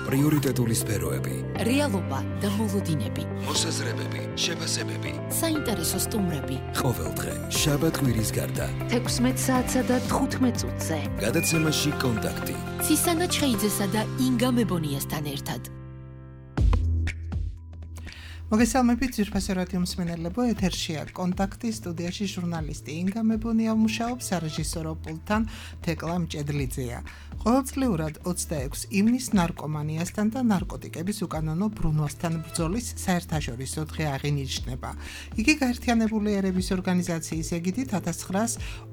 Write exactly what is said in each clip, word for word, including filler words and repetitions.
პრიორიტეტული სფეროები, რეალობა და მოლოდინები, მოსაზრებები, შეფასებები, საინტერესო სტუმრები. ყოველდღე შაბათ-კვირის გარდა თექვსმეტ საათსა და თხუთმეტ წუთზე გადაცემაში კონტაქტი ცისანა ჩხეიძესა და ინგა მებონიასთან ერთად. მოგესალმებით ძვირფასი რადიო მსმენელებო, ეთერშია კონტაქტი, სტუდიაში ჟურნალისტი ინგა მებონია მუშაობს, სარეჟისორო პულტთან თეკლა მჭედლიძეა. ყოველწლიურად ოცდაექვსი ივნის ნარკომანიასთან და ნარკოტიკების უკანონო ბრუნვასთან ბრძოლის საერთაშორისო დღე აღინიშნება. იგი გაერთიანებული ერების ორგანიზაციის ეგიდით ათას ცხრაას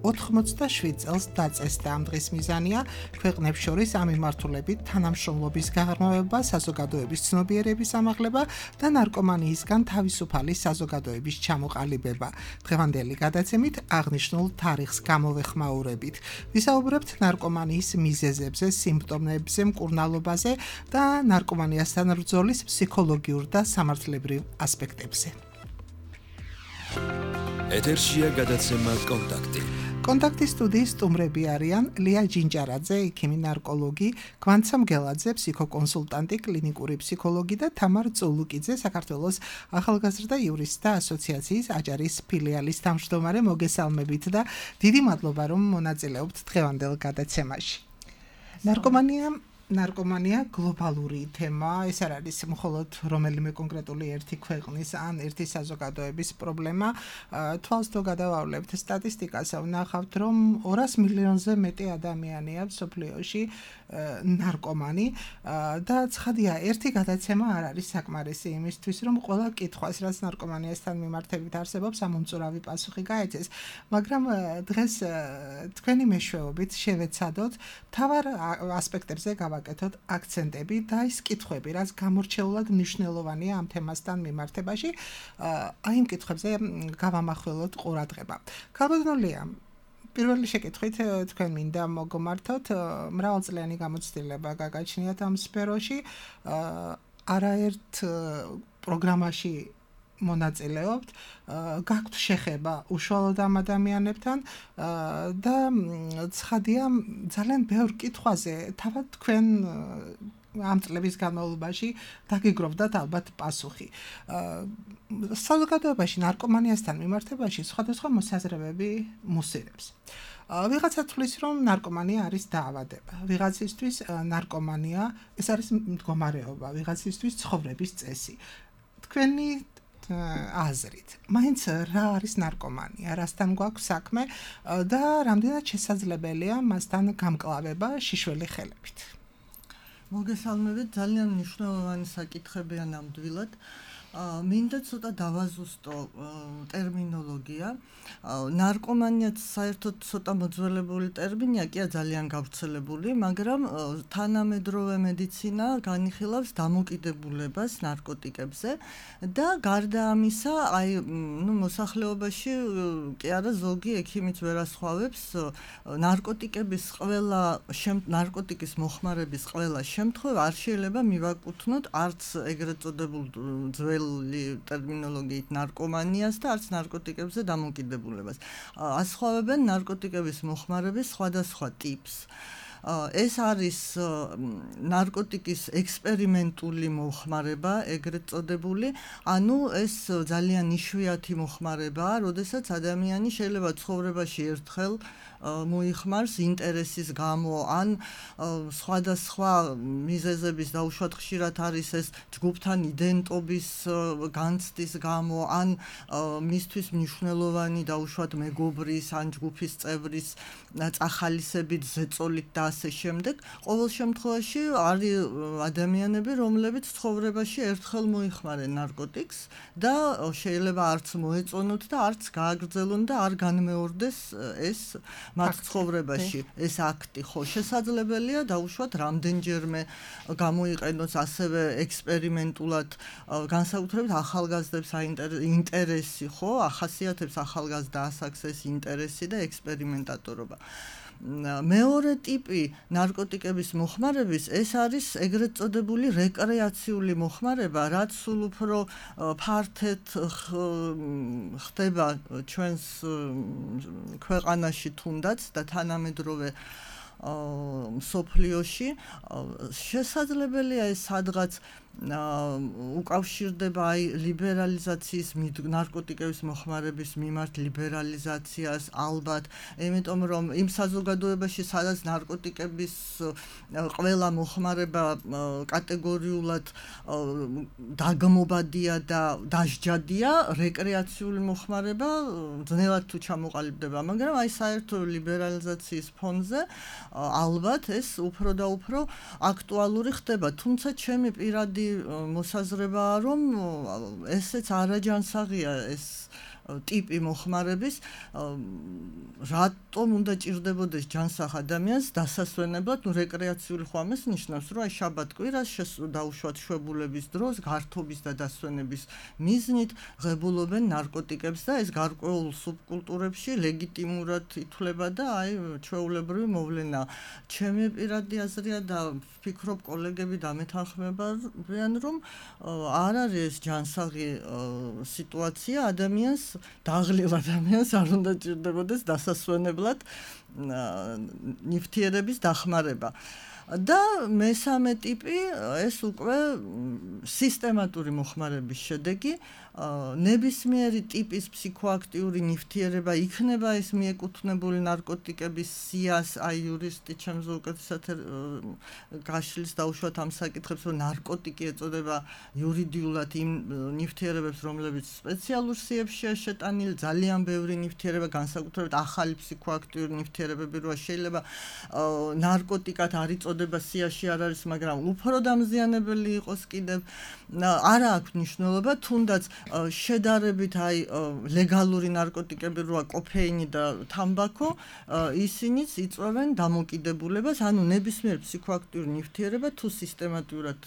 ოთხმოცდაშვიდ წელს დაწესდა. ამ დღის მიზანია ქვეყნებს შორის ამ მიმართულებით თანამშრომლობის გაღრმავება, საზოგადოების ცნობიერების ამაღლება და ნარკომანიისგან თავისუფალი საზოგადოების ჩამოყალიბება. დღევანდელი გადაცემით აღნიშნულ თარიღს გამოვეხმაურებით. ვისაუბრებთ ნარკომანიის მიზეზებზე, სიმპტომებზე, მკურნალობაზე და ნარკომანიასთან ბრძოლის ფსიქოლოგიურ და სამართლებრივ ასპექტებზე. ეთერშია გადაცემა კონტაქტი. კონტაქტის სტუდიის სტუმრები არიან ლია ჯინჯარაძე, ექიმი ნარკოლოგი, გვანცა მგელაძე, ფსიქოკონსულტანტი, კლინიკური ფსიქოლოგი და თამარ წულუკიძე, საქართველოს ახალგაზრდა იურისტთა ასოციაციის აჭარის ფილიალის თავმჯდომარე. მოგესალმებით და დიდი მადლობა, რომ მონაწილეობთ დღევანდელ გადაცემაში. ნარკომანია ნარკომანია გლობალური თემა, ეს არ არის მხოლოდ რომელიმე კონკრეტული ერთი ქვეყნის ან ერთი საზოგადოების პრობლემა. თვალს თუ გადავავლებთ სტატისტიკას, ვნახავთ, რომ ორას მილიონზე მეტი ადამიანია მსოფლიოში ნარკომანი და ცხადია, ერთი გადაცემა არ არის საკმარისი იმისთვის, რომ ყველა კითხვას, რაც ნარკომანიასთან მიმართებით არსებობს, ამომწურავი პასუხი გაეცეს. მაგრამ დღეს თქვენი მეშვეობით შევეცადოთ მთავარ ასპექტებზე გავაკეთოთ აქცენტები და ის კითხვები, რაც გამორჩეულად მნიშვნელოვანია ამ თემასთან მიმართებაში, აი იმ კითხვებზე გავამახვილოთ ყურადღება. ქალბატონია, პირველი შეკითხვით თქვენ მინდა მოგმართოთ, მრავალწლიანი გამოცდილება გაგაჩნიათ ამ სფეროში, არაერთ პროგრამაში მონაწილეობთ, გაქვთ შეხება უშუალოდ ამ ადამიანებთან და ცხადია, ძალიან ბევრ კითხვაზე თავად თქვენ ამ წლების განმავლობაში დაგიგროვდათ ალბათ პასუხი. საზოგადოებაში ნარკომანიასთან მიმართებაში სხვადასხვა მოსაზრებები მუსირებს. ვიღაცა თვლის, რომ ნარკომანია არის დაავადება. ვიღაცისთვის ნარკომანია ეს არის მდგომარეობა, ვიღაცისთვის ცხოვრების წესი. თქვენი აზრით, მაინც რა არის ნარკომანია, რასთან გვაქვს საქმე და რამდენად შესაძლებელია მასთან გამკლავება შიშველი ხელებით. მოგესალმებით, ძალიან მნიშვნელოვანი საკითხებია ნამდვილად. მინდა ცოტა დავაზუსტო ტერმინოლოგია. ნარკომანიაც საერთოდ ცოტა მოძველებული ტერმინია, კი ძალიან გავრცელებული, მაგრამ თანამედროვე მედიცინა განიხილავს დამოკიდებულებას ნარკოტიკებზე და გარდა ამისა, აი, ნუ მოსახლეობაში კი არა ზოგი ექიმიც ვერ ასხვავებს ნარკოტიკების ყველა ნარკოტიკის მოხმარების ყველა შემთხვევა არ შეიძლება მივაკუთვნოთ არც ეგრეთ წოდებულ ძველ ტერმინოლოგიით ნარკომანიას და არც ნარკოტიკებზე დამოკიდებულებას. ასხვავებენ ნარკოტიკების მოხმარების სხვადასხვა ტიპს. ეს არის ნარკოტიკის ექსპერიმენტული მოხმარება, ეგრეთ წოდებული, ანუ ეს ძალიან იშვიათი მოხმარებაა, როდესაც ადამიანი შეიძლება ცხოვრებაში ერთხელ მოიხმარს ინტერესის გამო, ან სხვადასხვა მიზეზების დაუშვათ ხშირად არის ეს ჯგუფთან იდენტობის განცდის გამო, ან მისთვის მნიშვნელოვანი დაუშვათ მეგობრის ან ჯგუფის წევრის წახალისებით, ზეწოლით და ასე შემდეგ. ყოველ შემთხვევაში არის ადამიანები, რომლებიც ცხოვრებაში ერთხელ მოიხმარენ ნარკოტიკს და შეიძლება არც მოეწონოთ და არც გააგრძელონ და არ განმეორდეს ეს მათ ცხოვრებაში ეს აქტი. ხო, შესაძლებელია დაუშვათ რამდენჯერმე გამოიყენოს ასევე ექსპერიმენტულად, განსაკუთრებით ახალგაზრდებს ინტერესი, ხო, ახასიათებს ახალგაზრდა ასაკს ეს ინტერესი და ექსპერიმენტატორობა. მეორე ტიპი ნარკოტიკების მოხმარების ეს არის ეგრეთ წოდებული რეკრეაციული მოხმარება, რაც სულ უფრო ფართედ ხდება ჩვენს ქვეყანაში თუნდაც და თანამედროვე მსოფლიოში შესაძლებელია ეს სადღაც უკავშირდება აი ლიბერალიზაციის ნარკოტიკების მოხმარების მიმართ ლიბერალიზაციას ალბათ, იმიტომ რომ იმ საზოგადოებაში სადაც ნარკოტიკების ყველა მოხმარება კატეგორიულად დაგმობადია და დასჯადია, რეკრეაციული მოხმარება ძნელად თუ ჩამოყალიბდება, მაგრამ აი საერთო ლიბერალიზაციის ფონზე ალბათ ეს უფრო და უფრო აქტუალური ხდება, თუმცა ჩემი პირადი მოსაზრებაა, რომ ესეც არაჯანსაღია ეს ტიპი მოხმარების, რატომ უნდა ჭირდებოდეს ჯანსაღ ადამიანს დასასვენებლად, ნუ რეკრეაციული ხო ამას ნიშნავს, რომ აი შაბათ-კვირას დაუშვათ შვებულების დროს გართობის და დასვენების მიზნით ღებულობენ ნარკოტიკებს და ეს გარკვეულ სუბკულტურებში ლეგიტიმურად ითვლება და აი ჩვეულებრივი მოვლენა. ჩემი პირადი აზრია და ვფიქრობ კოლეგები დამეთანხმებიან, რომ არ არის ეს ჯანსაღი სიტუაცია ადამიანს დაღლილ ადამიანს არ უნდა ჭირდებოდეს დასასვენებლად ნივთიერების დახმარება. და მესამე ტიპი ეს უკვე სისტემატური მოხმარების შედეგი, ნებისმიერი ტიპის ფსიქოაქტიური ნივთიერება იქნება ეს მიეკუთვნებული ნარკოტიკების სიას, აი იურისტი ჩემს უკეთესად გაშლის დაუშვათ ამ საკითხებს, რომ ნარკოტიკი ეწოდება იურიდიულად იმ ნივთიერებებს, რომლებიც სპეციალურ სიებშია შეტანილი, ძალიან ბევრი ნივთიერება, განსაკუთრებით ახალი ფსიქოაქტიური ნივთიერებები როა შეიძლება ნარკოტიკად არ იწოდება სიაში არ არის, მაგრამ უფრო დამზიანებელი იყოს კიდევ, არა აქვს მნიშვნელობა, თუნდაც შედარებით აი ლეგალური ნარკოტიკები როა კოფეინი და თამბაქო, ისინიც იწვევენ დამოკიდებულებას, ანუ ნებისმიერ ფსიქოაქტიურ ნივთიერება თუ სისტემატურად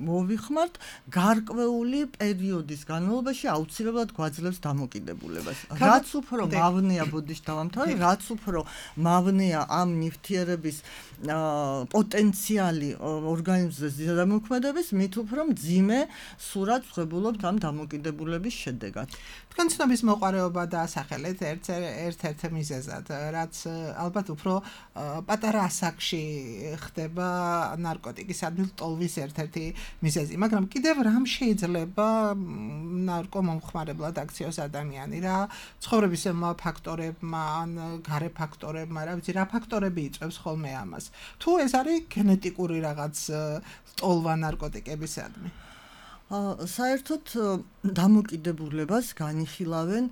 მოვიხმართ, გარკვეული პერიოდის განმავლობაში აუცილებლად გვაძლევს დამოკიდებულებას. რაც უფრო მავნეა, ბოდიშ დავამთავრე, რაც უფრო მავნეა ამ ნივთიერების პოტენციალი ორგანიზმზე ზედამოქმედების, მით უფრო მძიმე სურათს ვღებულობთ ამ დამოკიდებულების შედეგად. თქვენ ცნობის მოყარეობა დაასახელეთ ერთ-ერთ მიზეზად, რაც ალბათ უფრო პატარა ასაკში ხდება ნარკოტიკისადმი ტოლვის ერთ-ერთი მიზეზი, მაგრამ კიდევ რამ შეიძლება ნარკომომხმარებლად აქციოს ადამიანი, რა ცხოვრებისემა ფაქტორებმა, ან გარე ფაქტორებმა, რა ვიცი, რა ფაქტორები იწვევს ხოლმე ამას. თუ ეს არის გენეტიკური რაღაც ტოლვა ნარკოტიკებისადმი. საერთოდ დამოკიდებულებას განიხილავენ,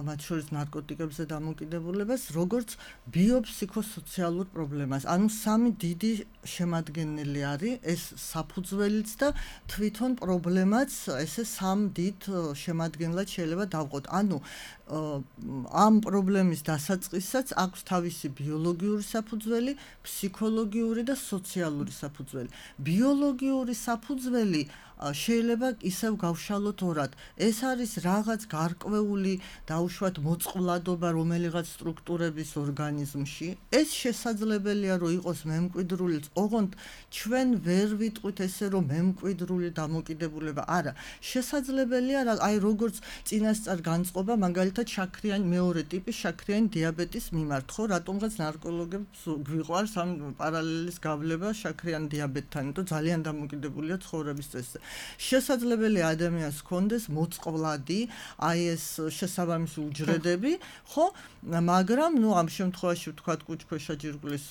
მათ შორის ნარკოტიკებზე დამოკიდებულებას, როგორც ბიოფსიქოსოციალურ პრობლემას. ანუ სამი დიდი შემადგენელი არის ეს საფუძველიც და თვითონ პრობლემაც ესე სამ დიდ შემადგენლად შეიძლება დავყოთ. ანუ ამ პრობლემის დასაწყისსაც აქვს თავისი ბიოლოგიური საფუძველი, ფსიქოლოგიური და სოციალური საფუძველი. ბიოლოგიური საფუძველი შეიძლება ისევ გავშალოთ ორად. ეს არის რაღაც გარკვეული დაუშვათ მოწყვლადობა რომელიღაც სტრუქტურების ორგანიზმში. ეს შესაძლებელია რომ იყოს მემკვიდრული, ოღონდ ჩვენ ვერ ვიტყვით ესე რომ მემკვიდრული დამოკიდებულება. არა, შესაძლებელია აი როგორც წინასწარ განწყობა მაგალითად შაქრიანი მეორე ტიპის შაქრიანი დიაბეტის მიმართ, ხო, რატომღაც ნარკოლოგებს გვიყვარს ამ პარალელის გავლება შაქრიანი დიაბეტთან, იმიტომ ძალიან დამოკიდებულია ცხოვრების წესზე. შესაძლებელია ადამიანს ჰქონდეს მოწყვლადი, აი ეს შესაბამისი უჯრედები, ხო, მაგრამ ნუ ამ შემთხვევაში ვთქვათ კუჭქვეშა ჯირკვლის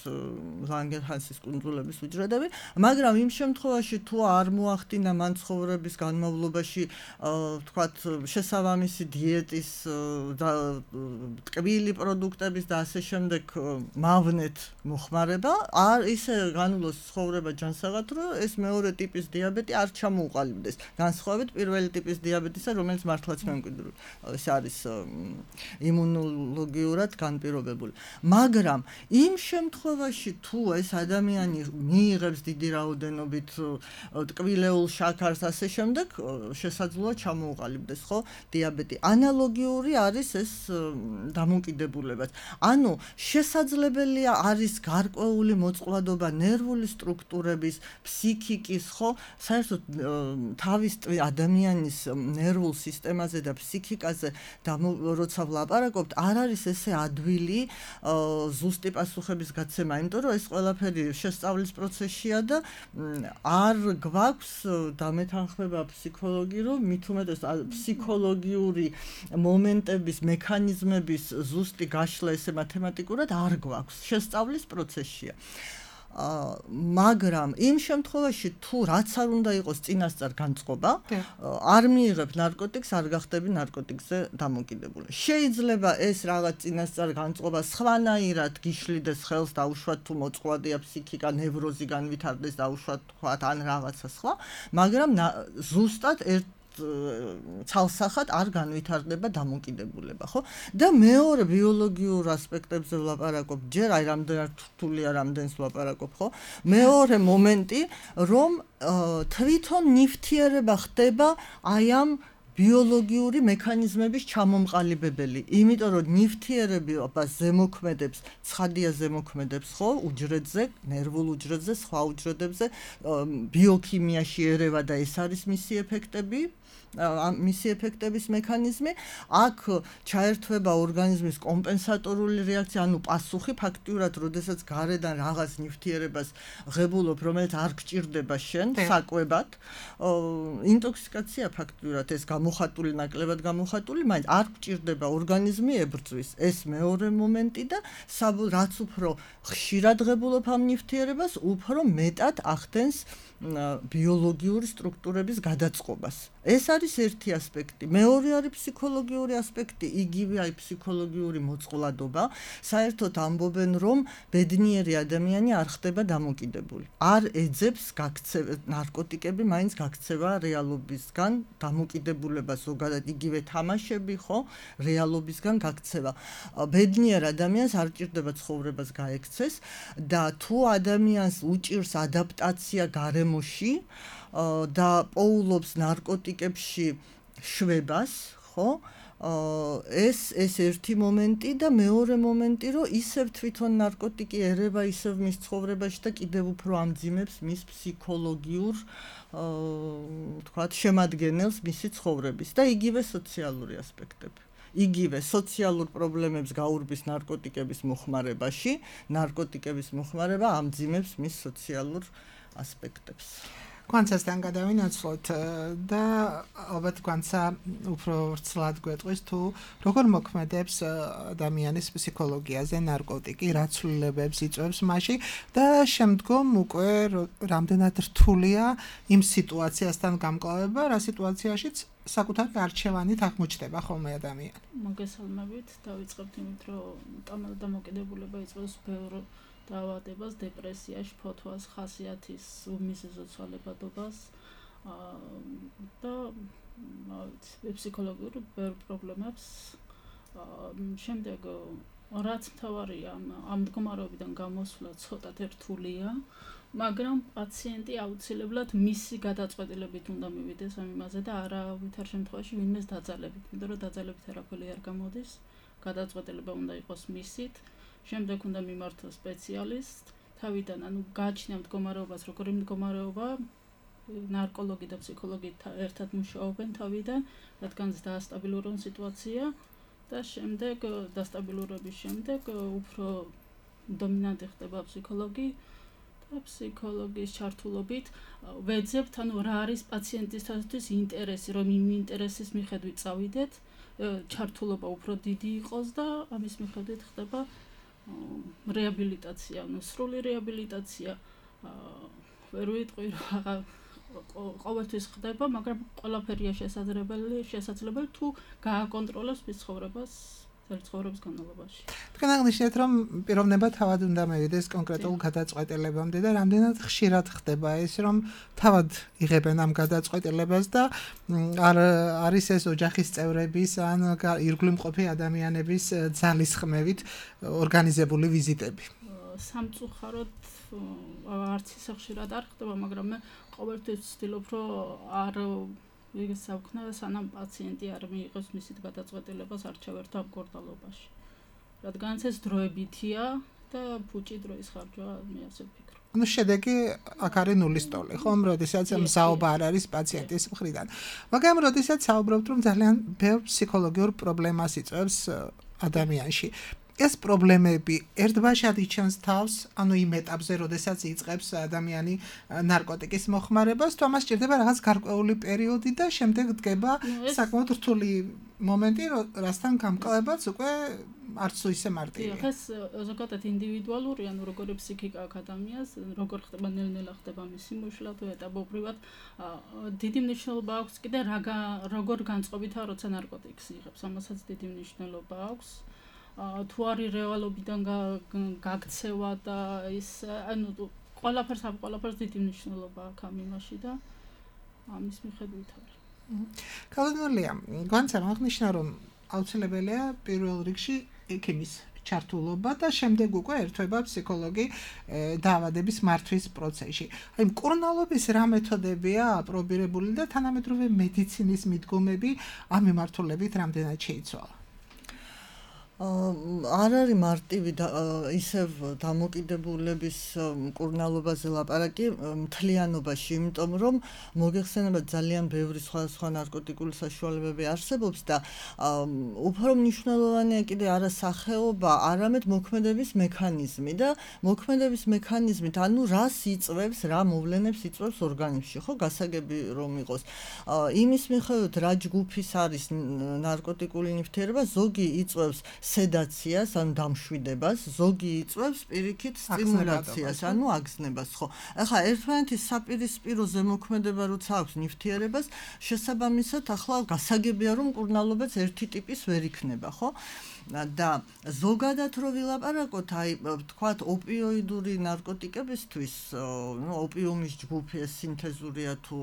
ლანგერჰანსის კუნძულების უჯრედები, მაგრამ იმ შემთხვევაში თუ არ მოახდინა მან ცხოვრების განმავლობაში ვთქვათ შესაბამისი დიეტის და ტკბილი პროდუქტების და ასე შემდეგ მავნეთ მოხმარება, არ ისე განვლოს ცხოვრება ჯანსაღად, რომ ეს მეორე ტიპის დიაბეტი არ ჩამოუყალიბდეს. განსხვავებით პირველი ტიპის დიაბეტისა, რომელიც მართლაც მემკვიდრული, ეს არის იმუნოლოგიურად განპირობებული. მაგრამ იმ შემთხვევაში თუ ეს ადამიანი მიიღებს დიდი რაოდენობით ტკბილეულ შაქარს ასე შემდეგ, შესაძლოა ჩამოუყალიბდეს, ხო, დიაბეტი. ანალოგიური არის ეს დამოკიდებულებაც. ანუ შესაძლებელია არის გარკვეული მოწყვლადობა ნერვული სტრუქტურების, ფსიქიკის, ხო, საერთოდ თავი თავის ადამიანის ნერვულ სისტემაზე და ფსიქიკაზე და როცა ვლაპარაკობთ, არ არის ესე ადვილი ზუსტი პასუხების გაცემა, იმიტომ რომ ეს ყველაფერი შესწავლის პროცესია და არ გვაქვს დამეთანხმება ფსიქოლოგი, რომ მით უმეტეს ფსიქოლოგიური მომენტების, მექანიზმების ზუსტი გაშლა ესე მათემატიკურად არ გვაქვს, შესწავლის პროცესია. მაგრამ იმ შემთხვევაში თუ რაც არ უნდა იყოს წინასწარ განწყობა, არ მიიღებ ნარკოტიკს, არ გახდები ნარკოტიკზე დამოკიდებული. შეიძლება ეს რაღაც წინასწარ განწყობა სხვანაირად გიშლიდეს ხელს, დაუშვათ თუ მოწყვლადია ფსიქიკა, ნევროზი განვითარდეს, დაუშვათ თქვათ ან რაღაცა სხვა, მაგრამ ზუსტად ერთ ცალსახად არ განვითარდება დამოკიდებულება, ხო? და მეორე ბიოლოგიურ ასპექტებზე ვლაპარაკობ, ჯერ აი რამდენად რთულია, რამდენს ვლაპარაკობ, ხო? მეორე მომენტი, რომ თვითონ ნივთიერება ხდება აი ამ ბიოლოგიური მექანიზმების ჩამომყალიბებელი, იმიტომ რომ ნივთიერებას ზემოქმედებს, ცხადია ზემოქმედებს, ხო, უჯრედზე, ნერვულ უჯრედზე, სხვა უჯრედებზე, ბიოქიმიაში ერევა და ეს არის მისი ეფექტები. მისი ეფექტების მექანიზმი, აქ ჩაერთვება ორგანიზმის კომპენსატორული რეაქცია, ანუ პასუხი ფაქტიურად, როდესაც გარედან რაღაც ნივთიერებას ღებულობ, რომელიც არ გჭირდება შენ საკვებად, ინტოქსიკაცია ფაქტიურად ეს გამოხატული, ნაკლებად გამოხატული, მაინც არ გჭირდება ორგანიზმი ებრძვის. ეს მეორე მომენტი და რაც უფრო ხშირად ღებულობ ამ ნივთიერებას, უფრო მეტად ახდენს ბიოლოგიური სტრუქტურების გადაწყობას. ეს არის ერთი ასპექტი. მეორე არის ფსიქოლოგიური ასპექტი, იგივე აი ფსიქოლოგიური მოწყვლადობა. საერთოდ ამბობენ, რომ ბედნიერი ადამიანი არ ხდება დამოკიდებული. არ ეძებს გაქცევა, ნარკოტიკები მაინც გაქცევა რეალობისგან, დამოკიდებულება ზოგადად იგივე თამაშები, ხო, რეალობისგან გაქცევა. ბედნიერ ადამიანს არ ჭირდება ცხოვრებას გაექცეს და თუ ადამიანს უჭირს ადაპტაცია გარემოში და პოულობს ნარკოტიკებში შვებას, ხო? ეს ეს ერთი მომენტი და მეორე მომენტი, რომ ისევ თვითონ ნარკოტიკი ერევა ისევ მის ცხოვრებაში და კიდევ უფრო ამძიმებს მის ფსიქოლოგიურ, თქვათ, შემადგენელს მისი ცხოვრების და იგივე სოციალური ასპექტები. იგივე სოციალურ პრობლემებს გაურბის ნარკოტიკების მოხმარებაში, ნარკოტიკების მოხმარება ამძიმებს მის სოციალურ ასპექტებს. Გვანცასთან გადავინაცვლოთ და ალბათ გვანცა უფრო ვრცლად გვეტყვის თუ როგორ მოქმედებს ადამიანის ფსიქოლოგიაზე ნარკოტიკი, რა ცვლილებებს იწვევს მასში და შემდგომ უკვე რამდენად რთულია იმ სიტუაციასთან გამკლავება, რა სიტუაციაშიც საკუთარი არჩევანით აღმოჩნდება ხოლმე ადამიანი. მოგესალმებით, დავიწყებთ იმით, რომ დამოკიდებულება იწვევს ბევრ დაავადებას, დეპრესიაში, ფოთვას, ხასიათის უმიზეზო ცვალებადობას და ფსიქოლოგიურ ბევრ პრობლემებს. შემდეგ რაც მთავარია ამ მდგომარეობიდან გამოსვლა ცოტათ რთულია, მაგრამ პაციენტი აუცილებლად მისი გადაწყვეტილებით უნდა მივიდეს ამ იმაზე და არავითარ შემთხვევაში ვინმეს დაძალებით, იმიტომ რომ დაძალებით არაფერი არ გამოდის, გადაწყვეტილება უნდა იყოს მისით. შემდეგ უნდა მიმართოს სპეციალისტ, თავიდან ანუ გააჩნია მდგომარეობას, როგორი მდგომარეობა, ნარკოლოგი და ფსიქოლოგი ერთად მუშაობენ თავიდან, რადგან დაასტაბილურონ სიტუაცია და შემდეგ დასტაბილურების შემდეგ უფრო დომინანტი ხდება ფსიქოლოგი და ფსიქოლოგის ჩართულობით ვეძებთ, ანუ რა არის პაციენტისთვის ინტერესი, რომ იმ ინტერესის მიხედვით წავიდეთ, ჩართულობა უფრო დიდი იყოს და ამის მიხედვით ხდება რეაბილიტაცია, ანუ სრული რეაბილიტაცია. ვერ ვიტყვი რა ყოველთვის ხდება, მაგრამ ყველაფერია შესაძლებელი, შესაძლებელი თუ გააკონტროლოს მის ცხოვრებას ცხოვრების განმავლობაში. თქვენ აღნიშნეთ, რომ პიროვნება თავად უნდა მივიდეს კონკრეტულ გადაწყვეტილებამდე და რამდენად ხშირად ხდება ეს, რომ თავად იღებენ ამ გადაწყვეტილებას და არ არის ეს ოჯახის წევრების ან ირგვლივ მყოფი ადამიანების ძალისხმევით ორგანიზებული ვიზიტები. სამწუხაროდ არც ისე ხშირად არ ხდება, მაგრამ მე ყოველთვის ვცდილობ, რომ არ ვიგესაუქნა, სანამ პაციენტი არ მიიღებს მისით გადაწყვეტილებას არჩევერთა მკურნალობაში. რადგანაც ეს დროებითია და ფუჭი დროის ხარჯვა მე ასე ვფიქრობ. ანუ შედეგი აქ არის ნულის ტოლი, ხო? როდესაც მზაობა არ არის პაციენტის მხრიდან. მაგრამ როდესაც საუბრობთ, რომ ძალიან ბევრ ფსიქოლოგიურ პრობლემას იწვევს ადამიანში. ეს პრობლემები ერთბაშად იჩენს თავს, ანუ იმ ეტაპზე, როდესაც იწყებს ადამიანი ნარკოტიკის მოხმარებას, თუ ამას სჭირდება რაღაც გარკვეული პერიოდი და შემდეგ დგება საკმაოდ რთული მომენტი, რასთან გამკლებაც უკვე არც თუ ისე მარტივია. ეს ზოგადად ინდივიდუალურია, ანუ როგორი ფსიქიკა აქვს ადამიანს, როგორ ხდება ნელ-ნელა ხდება მისი მოშლა თუ ეტაპობრივად დიდი მნიშვნელობა აქვს კიდე როგორ განწყობითაა, როცა ნარკოტიკს იღებს, ამასაც დიდი მნიშვნელობა აქვს. თუ არის რეალობიდან გაქცევა და ის ანუ ყველაფერს ამ ყველაფერს დიდი მნიშვნელობა აქვს ამ იმაში და ამის მიხედვით არის. კალენდარია, განცემ აღნიშნა რომ აუცილებელია პირველ რიგში ექიმის ჩართულობა და შემდეგ უკვე ერთვება ფსიქოლოგი დაავადების მართვის პროცესში. აი მკურნალობის რა მეთოდებია აპრობირებული და თანამედროვე მედიცინის მიდგომები ამ მიმართულებით რამდენად შეიცვალა? არ არის მარტივი ისევ დამოკიდებულების მკურნალობაზე ლაპარაკი მთლიანობაში, იმიტომ რომ მოგეხსენება ძალიან ბევრი სხვადასხვა ნარკოტიკული საშუალებები არსებობს და უფრო მნიშვნელოვანია კიდე არა სახეობა, არამედ მოქმედების მექანიზმი და მოქმედების მექანიზმით, ანუ რას იწვევს, რა მოვლენებს იწვევს ორგანიზმში, ხო, გასაგები რომ იყოს. იმის მიხედვით რა ჯგუფის არის ნარკოტიკული ნივთიერება, ზოგი იწვევს სედაციას, ანუ დამშვიდებას, ზოგი იწვევს პირიქით სტიმულაციას, ანუ აგზნებას, ხო. ახლა ერთმანეთის საპირისპირო ზემოქმედება როცა აქვს ნივთიერებას, შესაბამისად ახლა გასაგებია რომ მკურნალობაც ერთი ტიპის ვერ იქნება, ხო? და ზოგადად რო ვილაპარაკოთ, აი თქვათ ოპიოიდური ნარკოტიკებისთვის, ნუ ოპიუმის ჯგუფი ეს სინთეზურია თუ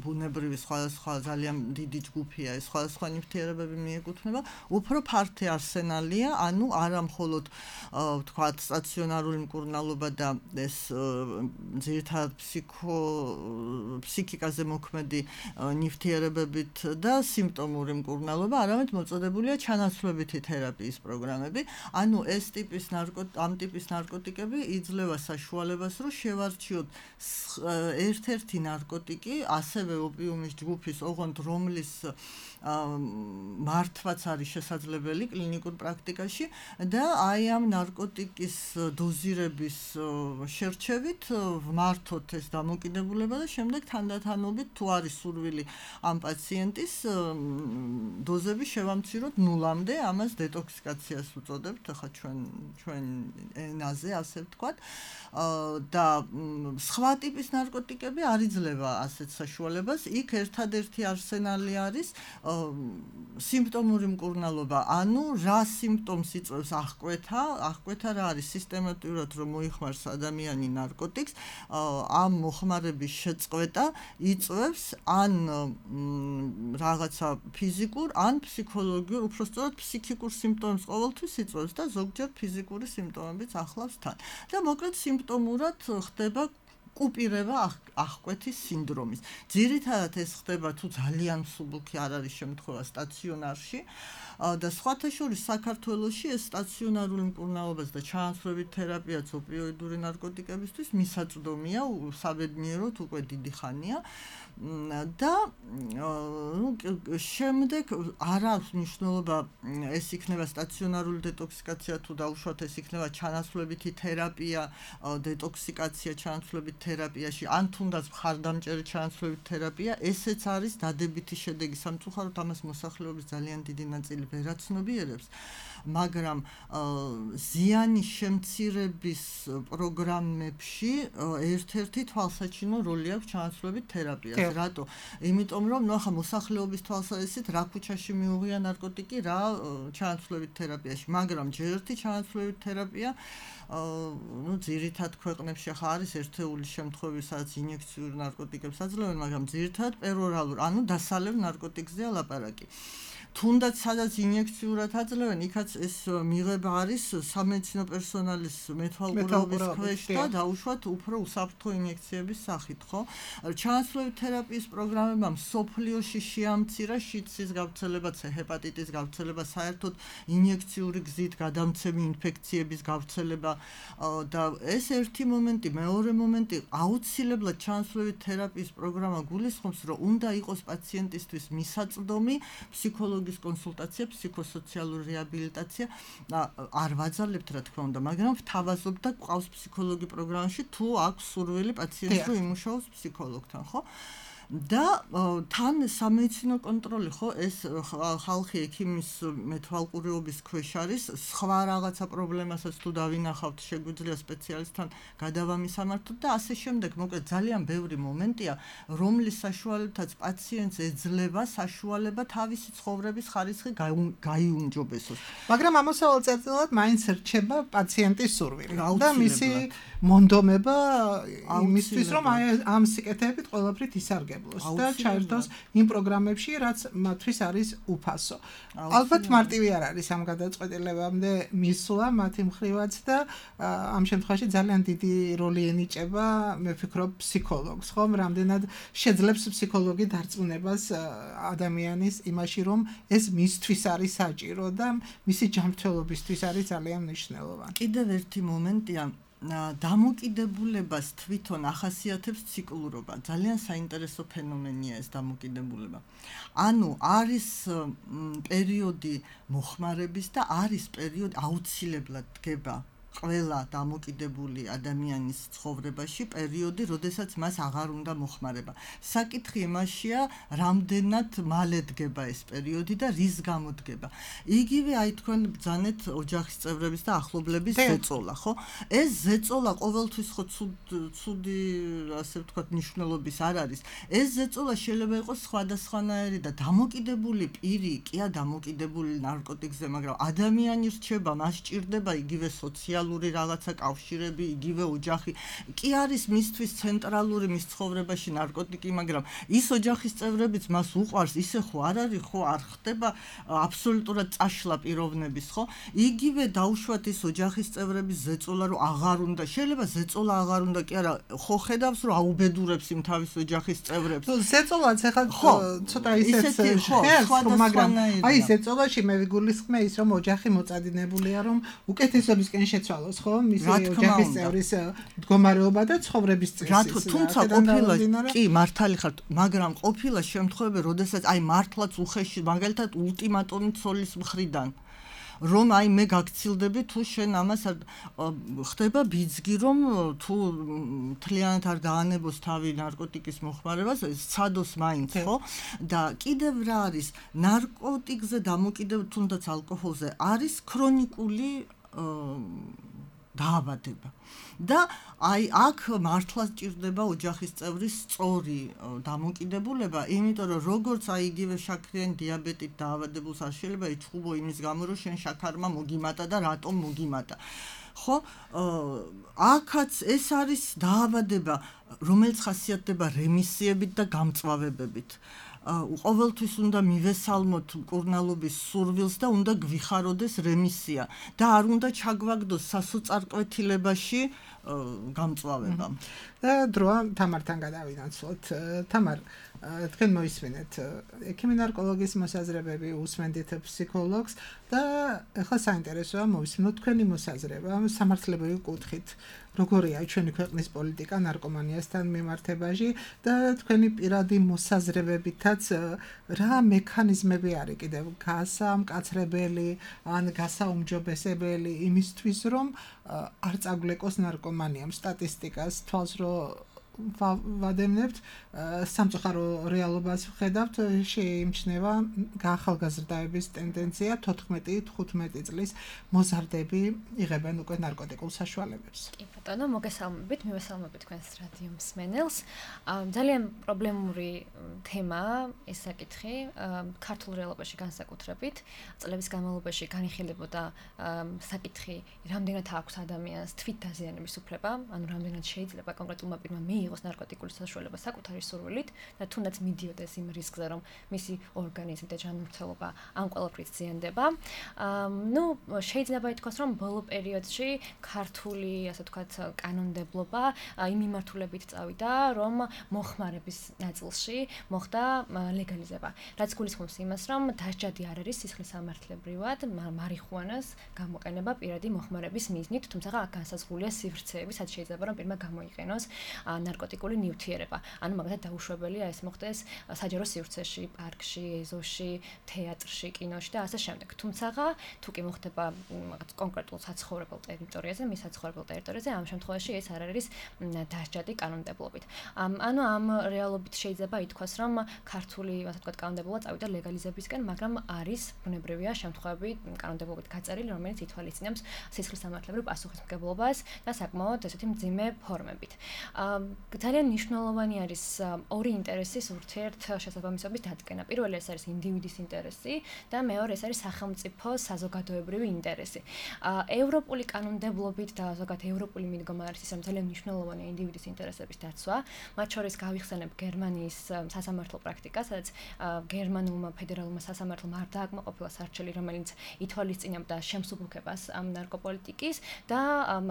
ბუნებრივი სხვადასხვა ძალიან დიდი ჯგუფია, ეს სხვადასხვა ნივთიერებები მიეკუთვნება, უფრო ფართე არსენალია, ანუ არა მხოლოდ თქვათ სტაციონარული მკურნალობა და ეს ძირითადად ფსიქო ფსიქიკაზე მოქმედი ნივთიერებებით და სიმპტომური მკურნალობა, არამედ მოწოდებულია ჩანაცვლებითი თერაპიის პროგრამები. ანუ ეს ტიპის ნარკოტ ამ ტიპის ნარკოტიკები იძლევა საშუალებას, რომ შევარჩიოთ ერთ-ერთი ნარკოტიკი, ასევე ოპიუმის ჯგუფის, ოღონდ რომლის მართვაც არის შესაძლებელი კლინიკურ პრაქტიკაში და აი ამ ნარკოტიკის დოზირების შერჩევით ვმართოთ ეს დამოკიდებულება და შემდეგ თანდათანობით თუ არის სურვილი ამ პაციენტის დოზები შევამციროთ ნულამდე, ამას დეტოქსიკაციას უწოდებთ, ახლა ჩვენ ჩვენ ენაზე ასე ვთქვათ. და სხვა ტიპის ნარკოტიკები არ იძლევა ასეთ საშუალებას. იქ ერთადერთი არსენალი არის სიმპტომური მკურნალობა, ანუ რა სიმპტომს იწვევს აღკვეთა, აღკვეთა რა არის სისტემატურად რომ მოიხმარს ადამიანი ნარკოტიკს, ამ მოხმარების შეწყვეტა იწვევს ან რაღაცა ფიზიკურ, ან ფსიქოლოგიურ, უпростоრად ფსიქიკურ სიმპტომებს ყოველთვის იწვევს და ზოგჯერ ფიზიკური სიმპტომებიც ახლავს თან. და მოკლედ სიმპტომურად ხდება კუპირება აღკვეთის სინდრომის. ძირითადად ეს ხდება თუ ძალიან მსუბუქი არ არის შემთხვევა სტაციონარში და სხვათა შორის საქართველოში ეს სტაციონარული მკურნალობაც და ჩანაცვლებით თერაპიაც ოპიოიდური ნარკოტიკებისთვის მისაწვდომია, საბედნიეროდ უკვე დიდი ხანია. და ნუ შემდეგ არ აქვს მნიშვნელობა ეს იქნება სტაციონარული დეტოქსიკაცია თუ დაუშვათ ეს იქნება ჩანაცვლებითი თერაპია, დეტოქსიკაცია ჩანაცვლებით თერაპიაში, ან თუნდაც მხარდამჭერი ჩანაცვლებით თერაპია, ესეც არის დადებითი შედეგი. სამწუხაროდ ამას მოსახლეობის ძალიან დიდი ნაწილი ვერ აცნობიერებს, მაგრამ ზიანის შემცირების პროგრამებში ერთ-ერთი თვალსაჩინო როლი აქვს ჩანაცვლებით თერაპიას. რატო? იმიტომ რომ ნუ ახლა მოსახლეობის თვალსაზრისით რა ქუჩაში მიუღია ნარკოტიკი, რა ჩანაცვლებით თერაპიაში, მაგრამ ჯერ ერთი ჩანაცვლებით თერაპია ნუ ძირითად ქვეყნებში ახლა არის ერთეული შემთხვევები, სადაც ინიექციურ ნარკოტიკებს აძლევენ, მაგრამ ძირითადად პერორალურ, ანუ დასალევ ნარკოტიკზეა ლაპარაკი. თუნდაც სადაც ინიექციურად აძლევენ, იქაც ეს მიღება არის სამედიცინო პერსონალის მეთვალყურეობის ქვეშ და დაუშვათ უფრო უსაფრთხო ინიექციების სახით, ხო? ჩანაცვლევი თერაპიის პროგრამებმა მსოფლიოში შეამცირა შიდსის გავრცელება, ჰეპატიტის გავრცელება, საერთოდ ინიექციური გზით გადამცემი ინფექციების გავრცელება და ეს ერთი მომენტი, მეორე მომენტი, აუცილებლად ჩანაცვლევი თერაპიის პროგრამა გულისხმობს, რომ უნდა იყოს პაციენტისთვის მისაწვდომი ფსიქოლოგის კონსულტაცია, ფსიქოსოციალური რეაბილიტაცია. არ ვაძალებთ რა თქმა უნდა, მაგრამ ვთავაზობ და გვყავს ფსიქოლოგი პროგრამაში, თუ აქვს სურვილი პაციენტს რომ იმუშაოს ფსიქოლოგთან, ხო? და თან სამედიცინო კონტროლი, ხო, ეს ხალხი ექიმის მეთვალყურეობის ქვეშ არის, სხვა რაღაცა პრობლემასაც თუ დავინახავთ, შეგვიძლია სპეციალისტთან გადავამისამართოთ და ასე შემდეგ. მოკლედ ძალიან ბევრი მომენტია, რომლის საშუალებითაც პაციენტს ეძლევა საშუალება თავისი ცხოვრების ხარისხი გაიუმჯობესოს. მაგრამ ამოსავალ წერტილად მაინც რჩება პაციენტის სურვილი და მისი მონდომება იმისთვის, რომ ამ სიკეთეებით ყველაფრით ისარგებლოს. და ჩაერთოს იმ პროგრამებში, რაც მათთვის არის უფასო. ალბათ მარტივი არ არის ამ გადაწყვეტილებამდე მისვლა მათი მხრივაც და ამ შემთხვევაში ძალიან დიდი როლი ენიჭება, მე ვფიქრობ, ფსიქოლოგს, ხომ? რამდენად შეძლებს ფსიქოლოგი დარწმუნებას ადამიანის იმაში, რომ ეს მისთვის არის საჭირო და მისი ჯანმრთელობისთვის არის ძალიან მნიშვნელოვანი. კიდევ ერთი მომენტია დამოკიდებულებას თვითონ ახასიათებს ციკლურობა. ძალიან საინტერესო ფენომენია ეს დამოკიდებულება. ანუ არის პერიოდი მოხმარების და არის პერიოდი აუცილებლად დგება ყველა დამოკიდებული ადამიანის ცხოვრებაში პერიოდი, როდესაც მას აღარ უნდა მოხმარება. საკითხი იმაშია, რამდენად მალე დგება ეს პერიოდი და რის გამო დგება. იგივე აი თქვენ ბრძანეთ ოჯახის წევრების და ახლობლების ზეწოლა, ხო? ეს ზეწოლა ყოველთვის ხო ცუდი, ასე ვთქვათ, ნიშნულობის არ არის. ეს ზეწოლა შეიძლება იყოს სხვადასხვანაირი და დამოკიდებული პირი, კია დამოკიდებული ნარკოტიკზე, მაგრამ ადამიანი რჩება, მას ჭირდება იგივე სოციალური რაღაცა კავშირები, იგივე ოჯახი. კი არის მისთვის ცენტრალური მის ცხოვრებაში ნარკოტიკი, მაგრამ ის ოჯახის წევრებიც მას უყვარს, ისე ხო არ არის, ხო არ ხდება აბსოლუტურად წაშლა პიროვნების, ხო? იგივე დაუშვათ ის ოჯახის წევრების ზეწოლა, რომ აღარ უნდა, შეიძლება ზეწოლა აღარ უნდა, კი არა, ხო ხედავს, რომ აუბედურებს იმ თავის ოჯახის წევრებს. ზეწოლაც ახლა ცოტა ისეც ხერხს, მაგრამ აი ზეწოლაში მე ვიგულისხმე ის, რომ ოჯახი მოწადინებულია, რომ უკეთესობისკენ შეცვალოს, ხო? მისი ოჯახის წევრის მდგომარეობა და ცხოვრების წესი. თუმცა ყოფილა კი მართალი ხართ, მაგრამ ყოფილა შემთხვევები, როდესაც აი მართლაც უხეში, მაგალითად ულტიმატუმი ცოლის მხრიდან რომ აი მე გაგცილდები თუ შენ ამას ხდება ბიძგი რომ თუ მთლიანად არ დაანებოს თავი ნარკოტიკის მოხმარებას სცადოს მაინც ხო და კიდევ რა არის ნარკოტიკზე დამოკიდებული თუნდაც ალკოჰოლზე არის ქრონიკული დაავადება და აი აქ მართლაც ჭირდება ოჯახის წევრის სწორი დამოკიდებულება, იმიტომ რომ როგორც აი იგივე შაქრიანი დიაბეტით დაავადებულს არ შეიძლება იჩხუბო იმის გამო, რომ შენ შაქარმა მოგიმატა და რატომ მოგიმატა. ხო, აქაც ეს არის დაავადება, რომელიც ხასიათდება რემისიებით და გამწვავებებით. ყოველთვის უნდა მივესალმოთ მკურნალობის სურვილს და უნდა გვიხაროდეს რემისია და არ უნდა ჩაგვაგდოს სასოწარკვეთილებაში გამწვავება. და დროა თამართან გადავინაცვლოთ. თამარ, თქვენ მოისმენთ ექიმი ნარკოლოგის მოსაზრებები, უსმენდით ფსიქოლოგს და ახლა საინტერესოა მოვისმენოთ თქვენი მოსაზრება სამართლებრივი კუთხით. როგორია ჩვენი ქვეყნის პოლიტიკა ნარკომანიასთან მიმართებაში და თქვენი პირადი მოსაზრებებითაც რა მექანიზმები არის კიდევ გასამკაცრებელი ან გასაუმჯობესებელი იმისთვის რომ არ წაგვლეკოს ნარკომანიამ სტატისტიკას თვალს რო ვადევნებთ სამწუხარო რეალობას ვხედავთ შეიმჩნევა გაახალგაზრდაების ტენდენცია თოთხმეტი თხუთმეტი წლის მოზარდები იღებენ უკვე ნარკოტიკულ საშუალებებს. კი ბატონო, მოგესალმებით, მივესალმებით თქვენს რადიო მსმენელს. ძალიან პრობლემური თემაა ეს საკითხი ქართულ რეალობაში განსაკუთრებით. წლების განმავლობაში განიხილებოდა საკითხი, რამდენად აქვს ადამიანს თვით დაზიანების უფლება, ანუ რამდენად შეიძლება კონკრეტულმა პირმა მიიღოს მიიღოს ნარკოტიკული საშუალება საკუთარი სურვილით და თუნდაც მიდიოდეს იმ რისკზე, რომ მისი ორგანიზმი და ჯანმრთელობა ამ ყველაფრით ზიანდება. ნუ შეიძლება ითქვას, რომ ბოლო პერიოდში ქართული, ასე ვთქვათ, კანონმდებლობა იმ მიმართულებით წავიდა, რომ მოხმარების ნაწილში მოხდა ლეგალიზება. რაც გულისხმობს იმას, რომ დასჯადი არ არის სისხლისამართლებრივად მარიხუანას გამოყენება პირადი მოხმარების მიზნით, თუმცა აქ განსაზღვრულია სივრცეები, სადაც შეიძლება რომ პირმა გამოიყენოს ნარკოტიკული ნივთიერება. ანუ მაგალითად დაუშვებელია ეს მოხდეს საჯარო სივრცეში, პარკში, ეზოში, თეატრში, კინოში და ასე შემდეგ. თუმცა თუ კი მოხდება რაღაც კონკრეტულ საცხოვრებელ ტერიტორიაზე, მის საცხოვრებელ ტერიტორიაზე, ამ შემთხვევაში ეს არ არის დასჯადი კანონმდებლობით. ანუ ამ რეალობით შეიძლება ითქვას, რომ ქართული, ასე ვთქვათ, კანონმდებლობა წავიდა ლეგალიზებისკენ, მაგრამ არის ბუნებრივია შემთხვევები კანონმდებლობით გაწერილი, რომელიც ითვალისწინებს სისხლისამართლებრივ პასუხისმგებლობას და საკმაოდ ესეთი მძიმე ფორმებით. ძალიან მნიშვნელოვანი არის ორი ინტერესის ურთიერთშესაბამისობის დადგენა. პირველი ეს არის ინდივიდის ინტერესი და მეორე ეს არის სახელმწიფოს საზოგადოებრივი ინტერესი. ევროპული კანონმდებლობით და ზოგადად ევროპული მიდგომა არის ის, რომ ძალიან მნიშვნელოვანია ინდივიდის ინტერესების დაცვა. მათ შორის გავიხსენებ გერმანიის სასამართლო პრაქტიკას, სადაც გერმანულმა ფედერალურმა სასამართლომ არ დააკმაყოფილა სარჩელი, რომელიც ითვალისწინებდა შემსუბუქებას ამ ნარკოპოლიტიკის და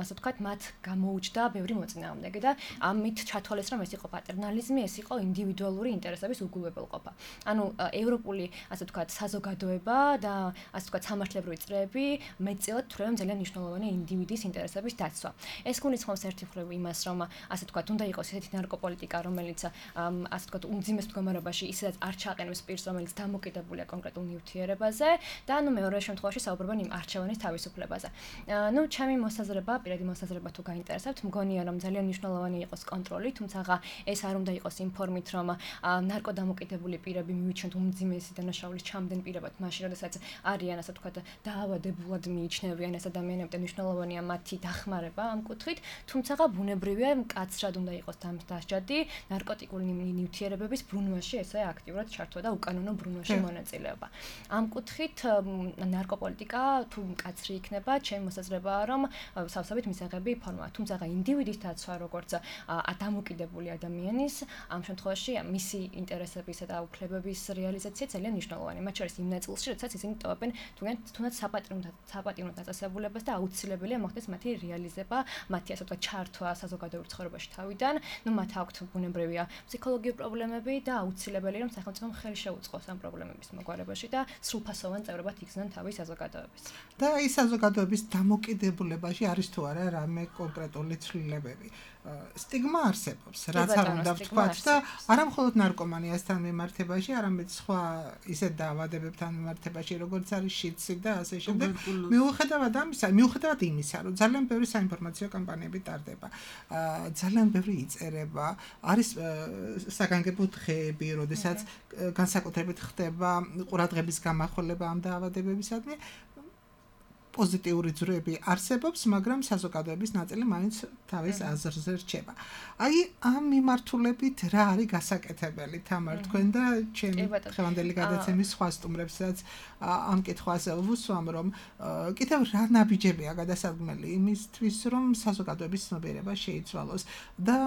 ასე ვთქვათ, მათ გამოუჩნდა ბევრი მოწინააღმდეგე და ამით ჩათვალეს, რომ ეს იყო პატერნალიზმი, ეს იყო ინდივიდუალური ინტერესების უგულებელყოფა. ანუ ევროპული, ასე ვთქვათ, საზოგადოება და ასე ვთქვათ, სამართლებრივი წრეები მეტწილად თვლიან ძალიან მნიშვნელოვანია ინდივიდის ინტერესების დაცვა. ეს გულისხმობს ერთი მხრივ იმას, რომ ასე ვთქვათ, უნდა იყოს ესეთი ნარკოპოლიტიკა, რომელიც ასე ვთქვათ, უმძიმეს მდგომარეობაში ისედაც არ ჩააყენებს პირს, რომელიც დამოკიდებულია კონკრეტულ ნივთიერებაზე და ანუ მეორე შემთხვევაში საუბრობენ იმ არჩევანის თავისუფლებაზე. ნუ ჩემი მოსაზრება, პირადი მოსაზრება თუ გაინტერესებთ, მგონია რომ ძალიან მნიშვნელოვანი იყოს კონტროლი, თუმცა ეს არ უნდა იყოს იმ ფორმით, რომ ნარკოდამოკიდებული პირები მივიჩნიოთ უმძიმესი დანაშაულის ჩამდენ პირებად, მაშინ როდესაც არიან ასე ვთქვათ, დაავადებულად მიიჩნევიან ეს ადამიანები და მნიშვნელოვანია მათი დახმარება ამ კუთხით, თუმცა ბუნებრივია მკაცრად უნდა იყოს დასჯადი ნარკოტიკული ნივთიერებების ბრუნვაში ესე აქტიურად ჩართვა და უკანონო ბრუნვაში მონაწილეობა. ამ კუთხით ნარკოპოლიტიკა თუ მკაცრი იქნება, ჩემი მოსაზრებაა, რომ სავსებით მისაღები ფორმაა. თუმცა ინდივიდის დაცვა, როგორც დამოკიდებული ადამიანის, ამ შემთხვევაში მისი ინტერესებისა და უფლებების რეალიზაცია ძალიან მნიშვნელოვანია. მათ შორის იმ ნაწილში, როდესაც ისინი ტოვებენ თუნდაც საპატიმრო დაწესებულებას და აუცილებელია მოხდეს მათი რეალიზება, მათი ასე ვთქვათ, ჩართვა საზოგადოებრივ ცხოვრებაში თავიდან. ნუ მათ აქვთ ბუნებრივია ფსიქოლოგიური პრობლემები და აუცილებელია რომ სახელმწიფომ ხელი შეუწყოს ამ პრობლემების მოგვარებაში და სრულფასოვან წევრებად იგრძნონ თავის საზოგადოებას. და ის საზოგადოების დამოკიდებულებაში არის თუ არა რამე კონკრეტული ცვლილებები. სტიგმა არსებობს, რაც არ უნდა ვთქვათ და არა მხოლოდ ნარკომანიასთან მიმართებაში, არამედ სხვა ისეთ დაავადებებთან მიმართებაში, როგორც არის შიდსი და ასე შემდეგ. მიუხედავად ამისა, მიუხედავად იმისა, რომ ძალიან ბევრი საინფორმაციო კამპანიები ტარდება, ძალიან ბევრი იწერება, არის საგანგებო დღეები, როდესაც განსაკუთრებით ხდება ყურადღების გამახვილება ამ დაავადებებისადმი. პოზიტიური ძროები არსებობს, მაგრამ საზოგადოების ნაწილი მაინც თავის აზრზე რჩება. აი, ამ მიმართულებით რა არის გასაკეთებელი, თამარ, თქვენ და ჩემი ხევანდელი გადაცემის სხვა სტუმრებსაც ამ კითხვაზე ვუსვამ, რომ კიდევ რა ნაბიჯებია გადასადგმელი იმისთვის, რომ საზოგადოების ცნობიერება შეიცვალოს და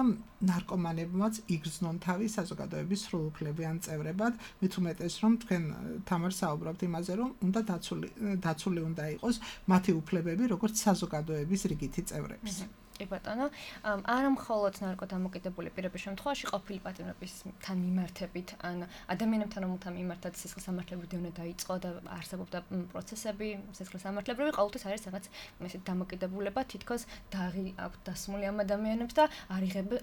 ნარკომანებმაც იგრძნონ თავის საზოგადოების სრულუფლებიან წევრებად, მით უმეტეს, რომ თქვენ თამარ საუბრობთ იმაზე, რომ უნდა დაცული დაცული უნდა იყოს მათი უფლებები, როგორც საზოგადოების რიგითი წევრების. კი ბატონო, არა მხოლოდ ნარკოდამოკიდებული პირების შემთხვევაში ყოფილი პატიმრებისთან მიმართებით, ან ადამიანებთან, რომელთა მიმართაც სისხლისამართლებრივი დევნა დაიწყო და არსებობდა პროცესები სისხლისამართლებრივი, ყოველთვის არის რაღაც ესეთი დამოკიდებულება, თითქოს დაღი აქვს დასმული ამ ადამიანებს და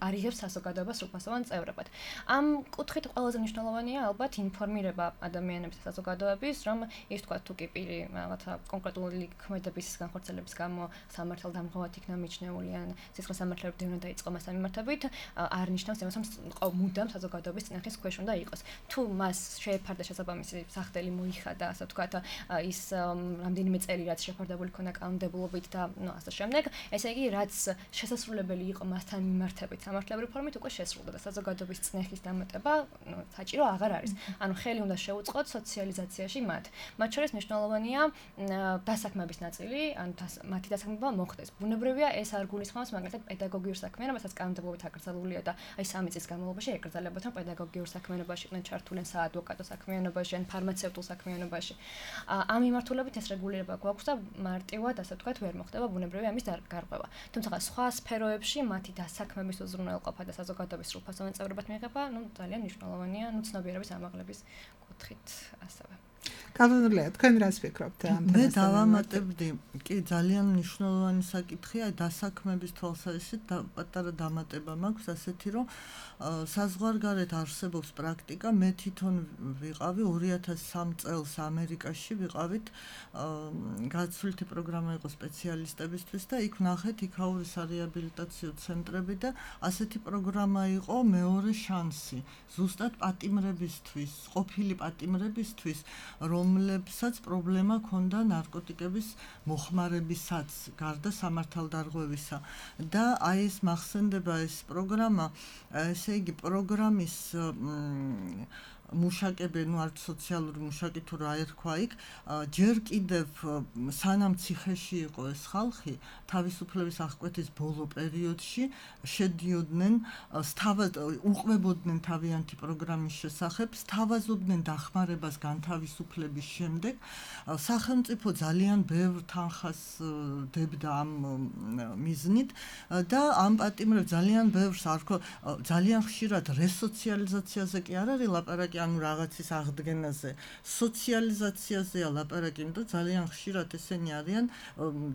არიღებს საზოგადოებას სრულფასოვან წევრებად. ამ კუთხით ყველაზე მნიშვნელოვანია ალბათ ინფორმირება ადამიანების საზოგადოების, რომ ის თქვა თუ კი პირი რაღაცა კონკრეტული ქმედების განხორციელების გამო სამართალდამღვრად იქნა მიჩნეული სისხლისამართლებრივი დევნა დაიწყო მასთან მიმართებით, არ ნიშნავს იმას, რომ მუდამ საზოგადოების წინახის ქვეშ უნდა იყოს. თუ მას შეეფარდა შესაბამისი სახდელი მოიხადა, ასე ვთქვათ, ის რამდენიმე წელი რაც შეფარდებული ქონდა კანონმდებლობით და ნუ ასე შემდეგ, ესე იგი, რაც შესაძლებელი იყო მასთან მიმართებით სამართლებრივი ფორმით უკვე შესრულდა და საზოგადოების წინახის დამატება, ნუ საჭირო აღარ არის. ანუ ხელი უნდა შეუწყოთ სოციალიზაციაში მათ. მათ შორის მნიშვნელოვანია დასაქმების ნაწილი, ან მათი დასაქმება მოხდეს. ბუნებრივია ეს არ გულისხმობს გულისხმობს მაგალითად პედაგოგიურ საქმიანობასაც კანონმდებლობით აკრძალულია და აი სამი წლის განმავლობაში ეკრძალებათ რომ პედაგოგიურ საქმიანობაში იყვნენ ჩართულენ საადვოკატო საქმიანობაში ან ფარმაცევტულ საქმიანობაში. ამ მიმართულებით ეს რეგულირება გვაქვს და მარტივად ასე ვთქვათ ვერ მოხდება ბუნებრივი ამის გარღვევა. თუმცა სხვა სფეროებში მათი დასაქმების უზრუნველყოფა და საზოგადოების სრულფასოვანი წევრობად მიღება, ну ძალიან მნიშვნელოვანია, ну ცნობიერების ამაღლების კუთხით ასევე. კანონმდებლია, თქვენ რას ფიქრობთ ამ თემასთან? მე დავამატებდი, კი ძალიან მნიშვნელოვანი საკითხია, დასაქმების თვალსაზრისით პატარა დამატება მაქვს ასეთი რომ საზღვარგარეთ არსებობს პრაქტიკა, მე თვითონ ვიყავი ორი ათას სამი წელს ამერიკაში ვიყავით გაცვლითი პროგრამა იყო სპეციალისტებისთვის და იქ ნახეთ იქაური სარეაბილიტაციო ცენტრები და ასეთი პროგრამა იყო მეორე შანსი ზუსტად პატიმრებისთვის, ყოფილი პატიმრებისთვის, რომლებსაც პრობლემა ჰქონდა ნარკოტიკების მოხმარებისაც გარდა სამართალდარღვევისა და აი ეს მახსენდება ეს პროგრამა ესე იგი პროგრამის მუშაკები, ну არც სოციალური მუშაკი თუ რა ერქვა იქ, ჯერ კიდევ სანამ ციხეში იყო ეს ხალხი, თავისუფლების აღკვეთის ბოლო პერიოდში შედიოდნენ, უყვებოდნენ თავიანთი პროგრამის შესახებ, სთავაზობდნენ დახმარებას განთავისუფლების შემდეგ. სახელმწიფო ძალიან ბევრ თანხას დებდა ამ მიზნით და ამ პატიმრებს ძალიან ბევრს არქო ძალიან ხშირად რესოციალიზაციაზე კი არ არის ლაპარაკი ანუ რაღაცის აღდგენაზე, სოციალიზაციაზეა ლაპარაკი, იმიტომ ძალიან ხშირად ესენი არიან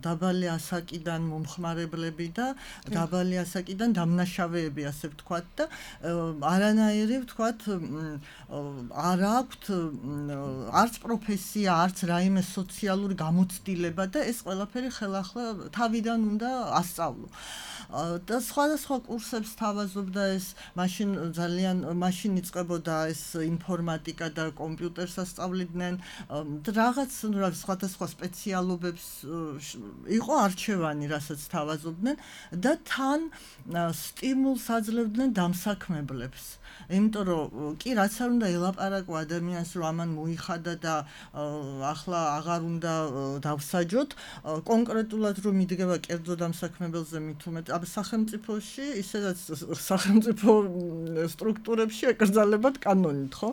დაბალი ასაკიდან მომხმარებლები და დაბალი ასაკიდან დამნაშავეები, ასე ვთქვათ და არანაირი ვთქვათ არ აქვთ არც პროფესია, არც რაიმე სოციალური გამოცდილება და ეს ყველაფერი ხელახლა თავიდან უნდა ასწავლო. და სხვადასხვა კურსებს თავაზობდა ეს მაშინ ძალიან მაშინ იწყებოდა ეს ინფორმატიკა და კომპიუტერს ასწავლიდნენ და რაღაც სხვადასხვა სპეციალობებს იყო არჩევანი, რასაც თავაზობდნენ და თან სტიმულს აძლევდნენ დამსაქმებლებს. იმიტომ რომ კი რაც არ უნდა ელაპარაკო ადამიანს რომ ამან მოიხადა და ახლა აღარ უნდა დავსაჯოთ, კონკრეტულად რომ მიდგება კერძო დამსაქმებელზე მით უმეტ აბ სახელმწიფოში, ისედაც სახელმწიფო სტრუქტურებში ეკრძალებათ კანონით, ხო?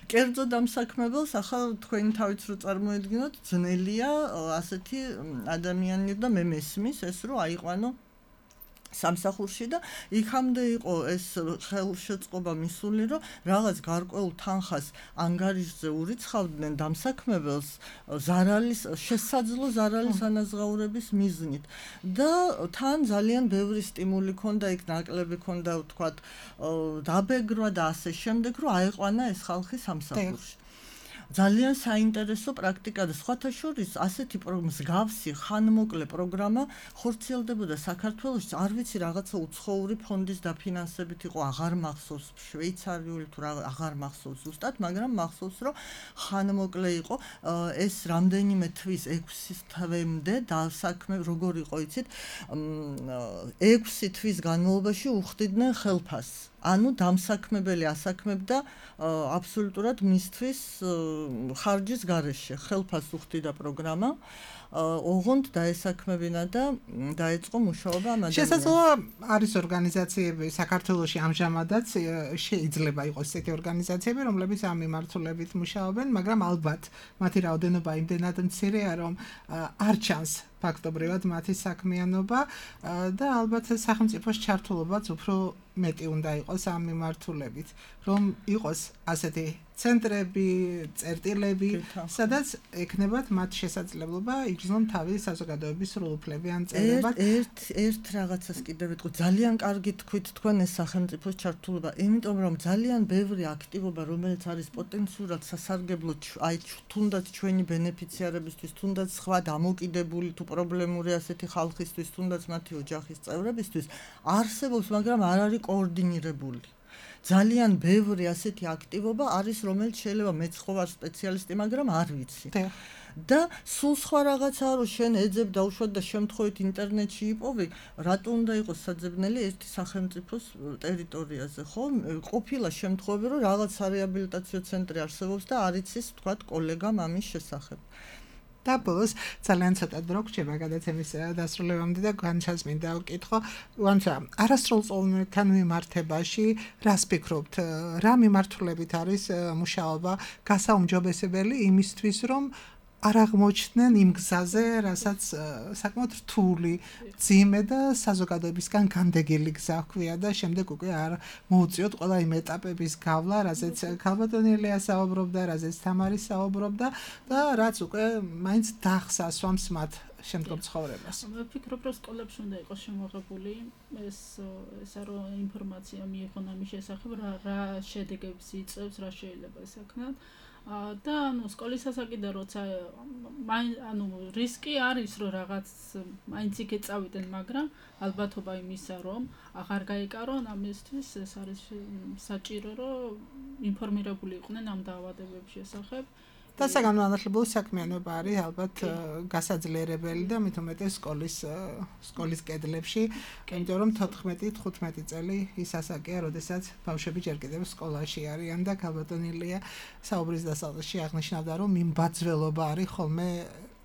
კერძო დამსაქმებელს ახლა თქვენი თავით რო წარმოედგინოთ, ძნელია ასეთი ადამიანი და მე მესმის ეს რომ აიყვანო სამსახურში და იქამდე იყო ეს ხელშეწყობა მისული, რომ რაღაც გარკვეულ თანხას ანგარიშზე ურიცხავდნენ დამსაქმებელს ზარალის შესაძლო ზარალის ანაზღაურების მიზნით და თან ძალიან ბევრი სტიმული ჰქონდა, იქ ნაკლები ჰქონდა ვთქვათ დაბეგრვა და ასე შემდეგ, რომ აიყვანა ეს ხალხი სამსახურში. ძალიან საინტერესო პრაქტიკა და სხვათა შორის ასეთი მსგავსი ხანმოკლე პროგრამა ხორციელდებოდა საქართველოში, არ ვიცი რაღაცა უცხოური ფონდის დაფინანსებით იყო, აღარ მახსოვს, შვეიცარიული თუ რა აღარ მახსოვს ზუსტად, მაგრამ მახსოვს რომ ხანმოკლე იყო ეს რამდენიმე თვის ექვსი თვემდე დასაქმე როგორ იყო იცით ექვსი თვის განმავლობაში უხდიდნენ ხელფასს. ანუ დამსაქმებელი ასაქმებდა აბსოლუტურად მისთვის ხარჯის გარეშე ხელფასს უხდიდა პროგრამა ოღონდ დაესაქმებინა და დაეწყო მუშაობა ამ ადამიანს. შესაძლოა არის ორგანიზაციები საქართველოში ამჟამადაც შეიძლება იყოს ესეთი ორგანიზაციები, რომლებიც ამ მიმართულებით მუშაობენ, მაგრამ ალბათ მათი რაოდენობა იმდენად მცირეა, რომ არ ჩანს ფაქტობრივად მათი საქმიანობა და ალბათ სახელმწიფოს ჩართულობაც უფრო მეტი უნდა იყოს ამ მიმართულებით, რომ იყოს ასეთი ცენტრები, წერტილები, სადაც ექნებათ მათ შესაძლებლობა იგრძნონ თავის საზოგადოების სრულუფლებიან წევრებად. ერთ ერთ რაღაცას კიდევ ვიტყვი, ძალიან კარგი თქვით თქვენ ეს სახელმწიფოს ჩართულობა, იმიტომ რომ ძალიან ბევრი აქტივობა, რომელიც არის პოტენციურად სასარგებლო, აი თუნდაც ჩვენი ბენეფიციარებისთვის, თუნდაც სხვა დამოკიდებული თუ პრობლემური ასეთი ხალხისთვის, თუნდაც მათი ოჯახის წევრებისთვის, არსებობს, მაგრამ არ არის კოორდინირებული. ძალიან ბევრი ასეთი აქტივობა არის, რომელიც შეიძლება მეც ხო ვარ სპეციალისტი, მაგრამ არ ვიცი. და სულ სხვა რაღაცაა, რომ შენ ეძებ დაუშვათ და შემთხვევით ინტერნეტში იპოვი, რატო უნდა იყოს საძებნელი ერთი სახელმწიფოს ტერიტორიაზე, ხო? ყოფილა შემთხვევები, რომ რაღაც სარეაბილიტაციო ცენტრი არსებობს და არ იცის, თქვათ, კოლეგამ ამის შესახებ. და ბოლოს ძალიან ცოტა დრო გრჩება გადაცემის დასრულებამდე და განჩას მინდა ვკითხო, ვანცა არასრულწლოვანთან მიმართებაში რას ფიქრობთ? რა მიმართულებით არის მუშაობა გასაუმჯობესებელი იმისთვის, რომ არ აღმოჩნდნენ იმ გზაზე, რასაც საკმაოდ რთული, ძიმე და საზოგადოებისგან განდეგილი გზა ჰქვია და შემდეგ უკვე არ მოუწიოთ ყველა იმ ეტაპების გავლა, რაზეც ქალბატონელია საუბრობდა, რაზეც თამარი საუბრობდა და რაც უკვე მაინც დახს ასვამს მათ შემდგომ ცხოვრებას. ვფიქრობ, რომ სკოლებში უნდა იყოს შემოღებული ეს ესა რომ ინფორმაცია მიიღონ ამის შესახებ, რა რა შედეგებს იწევს, რა შეიძლება ესაქნათ. და ანუ სკოლის ასაკიდან როცა ანუ რისკი არის რომ რაღაც მაინც იქ წავიდნენ, მაგრამ ალბათობა იმისა რომ აღარ გაიკარონ ამისთვის ეს არის საჭირო რომ ინფორმირებული იყვნენ ამ დაავადებების შესახებ. და საგანმანათლებლო საქმიანობა არის ალბათ გასაძლიერებელი და მით უმეტეს სკოლის სკოლის კედლებში, იმიტომ რომ თოთხმეტი თხუთმეტი წელი ის ასაკია, როდესაც ბავშვები ჯერ კიდევ სკოლაში არიან და ქალბატონელია საუბრის დასაწყისში აღნიშნავდა, რომ მიმბაძველობა არის ხოლმე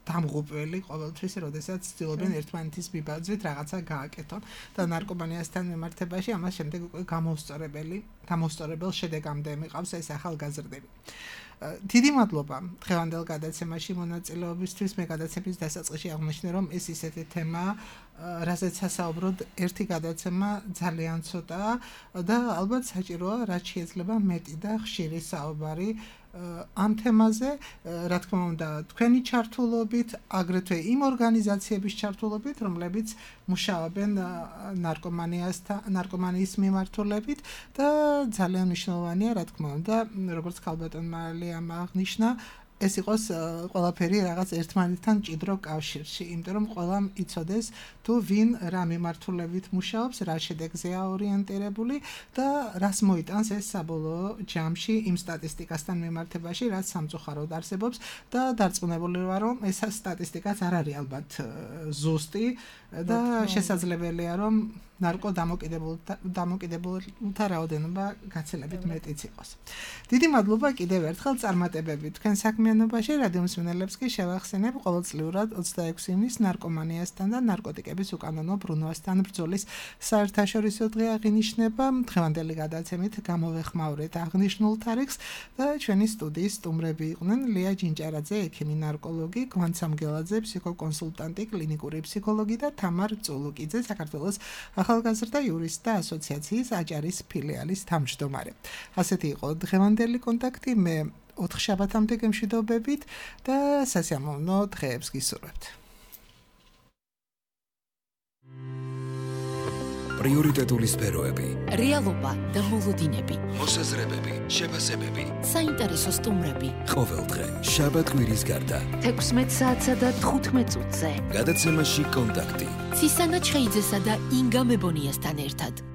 დამღუპველი ყოველთვის, როდესაც ცდილობენ ერთმანეთის მიბაძვით რაღაცა გააკეთონ და ნარკომანიასთან მიმართებაში ამას შემდეგ უკვე გამოსწორებელი, გამოსწორებელ შედეგამდე მიყავს ეს ახალგაზრდები. დიდი მადლობა დღევანდელ გადაცემაში მონაწილეობისთვის. მე გადაცემის დასაწყისში აღნიშნე, რომ ეს ისეთი თემაა, რაზეც საუბრობთ ერთი გადაცემა ძალიან ცოტაა და ალბათ საჭიროა რაც შეიძლება მეტი და ხშირი საუბარი ამ თემაზე, რა თქმა უნდა, თქვენი ჩართულობით, აგრეთვე იმ ორგანიზაციების ჩართულობით, რომლებიც მუშაობენ ნარკომანიასთან, ნარკომანიის მიმართულებით და ძალიან მნიშვნელოვანია, რა თქმა უნდა, როგორც ქალბატონმა ალიამ აღნიშნა, ეს იყოს ყველაფერი რაღაც ერთმანეთთან მჭიდრო კავშირში, იმიტომ რომ ყველამ იცოდეს თუ ვინ რა მიმართულებით მუშაობს, რა შედეგზეა ორიენტირებული და რას მოიტანს ეს საბოლოო ჯამში იმ სტატისტიკასთან მიმართებაში, რაც სამწუხაროდ არსებობს და დარწმუნებული ვარ, რომ ეს სტატისტიკაც არ არის ალბათ ზუსტი და შესაძლებელია, რომ ნარკო დამოკიდებულთა რაოდენობა გაცილებით მეტიც იყოს. დიდი მადლობა კიდევ ერთხელ წარმატებებით თქვენ საქმიანობაში. რადიო მსმენელებს კი შევახსენებ, ყოველწლიურად ოცდაექვსი ივნის ნარკომანიასთან და ნარკოტიკების უკანონო ბრუნვასთან ბრძოლის საერთაშორისო დღე აღინიშნება. დღევანდელი გადაცემით გამოვეხმაურეთ აღნიშნულ თარიღს და ჩვენი სტუდიის სტუმრები იყვნენ ლია ჯინჭარაძე, ექიმი ნარკოლოგი, გვან სამგელაძე, ფსიქოკონსულტანტი, კლინიკური ფსიქოლოგი და თამარ წულუკიძე, საქართველოს ახალგაზრდა იურისტთა ასოციაციის აჭარის ფილიალის თავმჯდომარე. ასეთი იყო დღევანდელი კონტაქტი. მე ოთხ შაბათამდე გემშვიდობებით და სასიამოვნო დღეებს გისურვებთ. პრიორიტეტული სფეროები, რეალობა და მოლოდინები, მოსაზრებები, შეფასებები, საინტერესო სტუმრები. ყოველდღე შაბათ კვირის გარდა თექვსმეტ საათსა და თხუთმეტ წუთზე გადაცემაში კონტაქტი. ცისანა ჩხეიძესა და ინგა მებონიასთან ერთად.